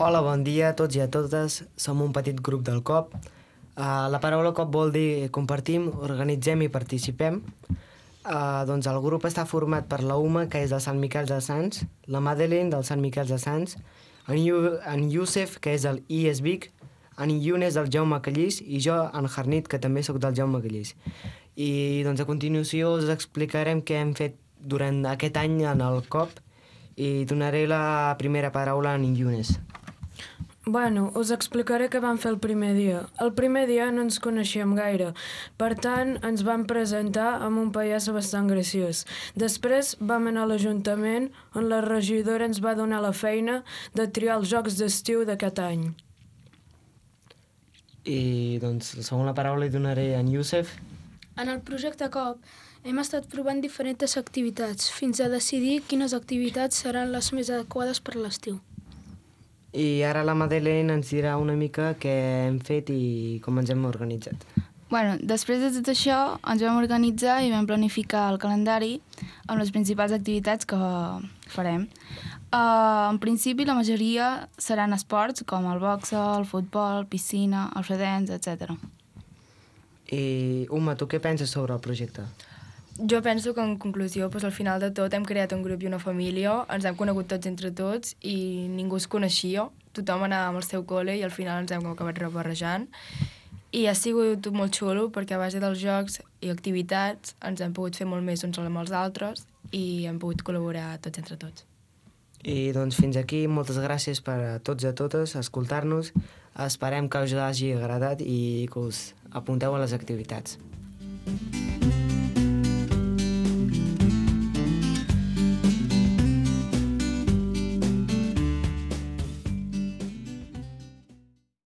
Hola, bon dia a tots i a totes. Som un petit grup del COP. La paraula COP vol dir compartim, organitzem i participem. Doncs el grup està format per la Uma, que és del Sant Miquel de Sants, la Madeleine del Sant Miquel de Sants, en Youssef, que és del IES Vic, en Younes del Jaume Callís i jo, en Harnit, que també sóc del Jaume Callís. I doncs a continuació us explicarem què hem fet durant aquest any en el COP i donaré la primera paraula a en Younes. Bueno, us explicaré què vam fer el primer dia. El primer dia no ens coneixíem gaire, per tant ens vam presentar amb un pallasso bastant graciós. Després vam anar a l'Ajuntament on la regidora ens va donar la feina de triar els jocs d'estiu d'aquest any. I doncs la segona paraula hi donaré a en Youssef. En el projecte COP hem estat provant diferents activitats fins a decidir quines activitats seran les més adequades per l'estiu. I ara la Madeleine ens dirà una mica què hem fet i com ens hem organitzat. Bueno, després de tot això ens vam organitzar i vam planificar el calendari amb les principals activitats que farem. En principi la majoria seran esports com el boxe, el futbol, piscina, el fredens, etc. I Uma, tu què penses sobre el projecte? Jo penso que, en conclusió, al final de tot hem creat un grup i una família, ens hem conegut tots entre tots i ningú es coneixia, tothom anava amb el seu col·le i al final ens hem acabat rebarrejant. I ha sigut molt xulo perquè a base dels jocs i activitats ens hem pogut fer molt més uns amb els altres i hem pogut col·laborar tots entre tots. I doncs fins aquí, moltes gràcies per a tots i a totes escoltar-nos. Esperem que us hagi agradat i que us apunteu a les activitats.